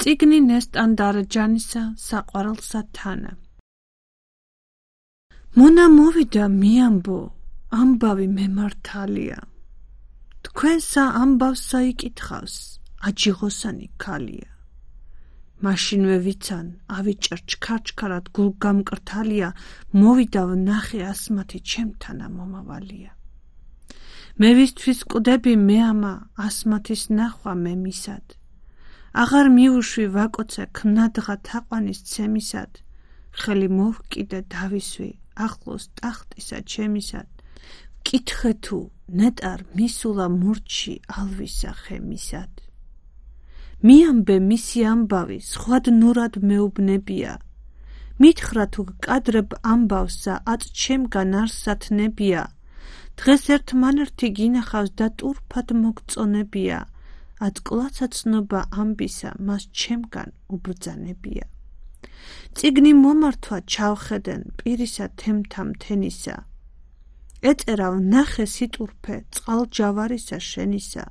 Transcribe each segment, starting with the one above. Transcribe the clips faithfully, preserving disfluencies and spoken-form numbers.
წიგნი ნესტან დარეჯანისა საყვარელსა თანა. მონა მოვიდა მიამბო, ამბავი მემართალია. თქვენსა ამბავსა იკითხავს, აჯიღოსანი ქალია. მაშინვე ვიცან, ავიჭერ ჩქარ-ჩქარად გულგამკრთალია, მოვიდა ვნახე ასმათი ჩემთანა მომავალია. მე ვისთვის კვდები მეამა, ასმათის ნახვა მე მისად. აღარ მიუშვი ვაკოცე ქმნადღა თაყვანის ცემისად, ხელი მოვკიდე დავისვი, ახლოს ტახტისა ჩემისად. ვკითხე თუ ნეტარ მისულა მურჩი ალვისა ხემისად. მიამბე მისი ამბავი, სხვად ნურად მეუბნებია. მითხრა თუ გკადრებ ამბავსა, აწ ჩემგან არსათნებია. დღეს ერთმანერთი გინახავს და ტურფად მოგწონებია. აწ კლაცაცნობა ამბისა, მას ჩემგან უბრძანებია. წიგნი მომართვა ჩავხედენ, პირისა თემთა მთენისა. ეწერა ვნახე სიტურფე, წყალჯავარისა შენისა.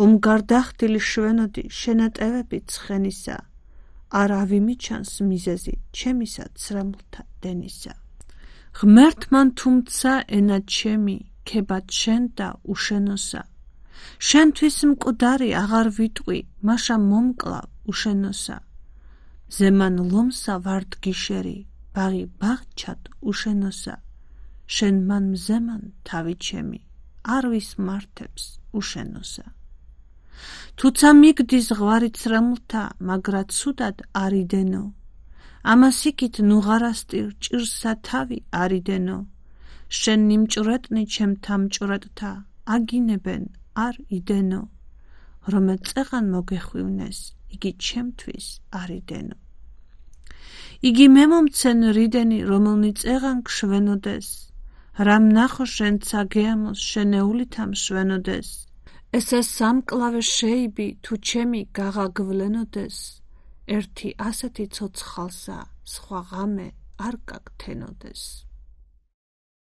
ომგარდახდილი შვენოდი, შენატევები ცხენისა. არ ავიმიჩანს მიზეზი, ჩემისა ცრემლთა დენისა. ღმერთმან თუმცა ენა ჩემი, ქებად შენ და უშენოსა. შენთვის მკვდარი აღარ ვიტყვი, მაშა მომკლავ უშენოსა. ზემან ლომსა ვარდგიშერი, ბაღი ბაღჩად უშენოსა. შენ მან მზემან თავი ჩემი, არ ვისმართებს უშენოსა. თუცა მიგდის ღვარი ცრემლთა, მაგრა ცუდად არიდენო. ამას იქით ნუღარასტირ ჭირსა თავი არიდენო. შენ ნიმჭვრეტნი ჩემთა მჭვრეტთა, აგინებენ არ იდენო. რომე წეღან მოგეხვივნეს, იგი ჩემთვის არიდენო. იგი მემომცენ რიდენი, რომელნი წეღან გშვენოდეს. რამ ნახო შენცა გეამოს, შენეულითა მშვენოდეს. ესე სამკლავე შეიბი, თუ ჩემი გაღაგვლენოდეს. ერთი ასეთი ცოცხალსა, სხვა ღამე არ გაგთენოდეს.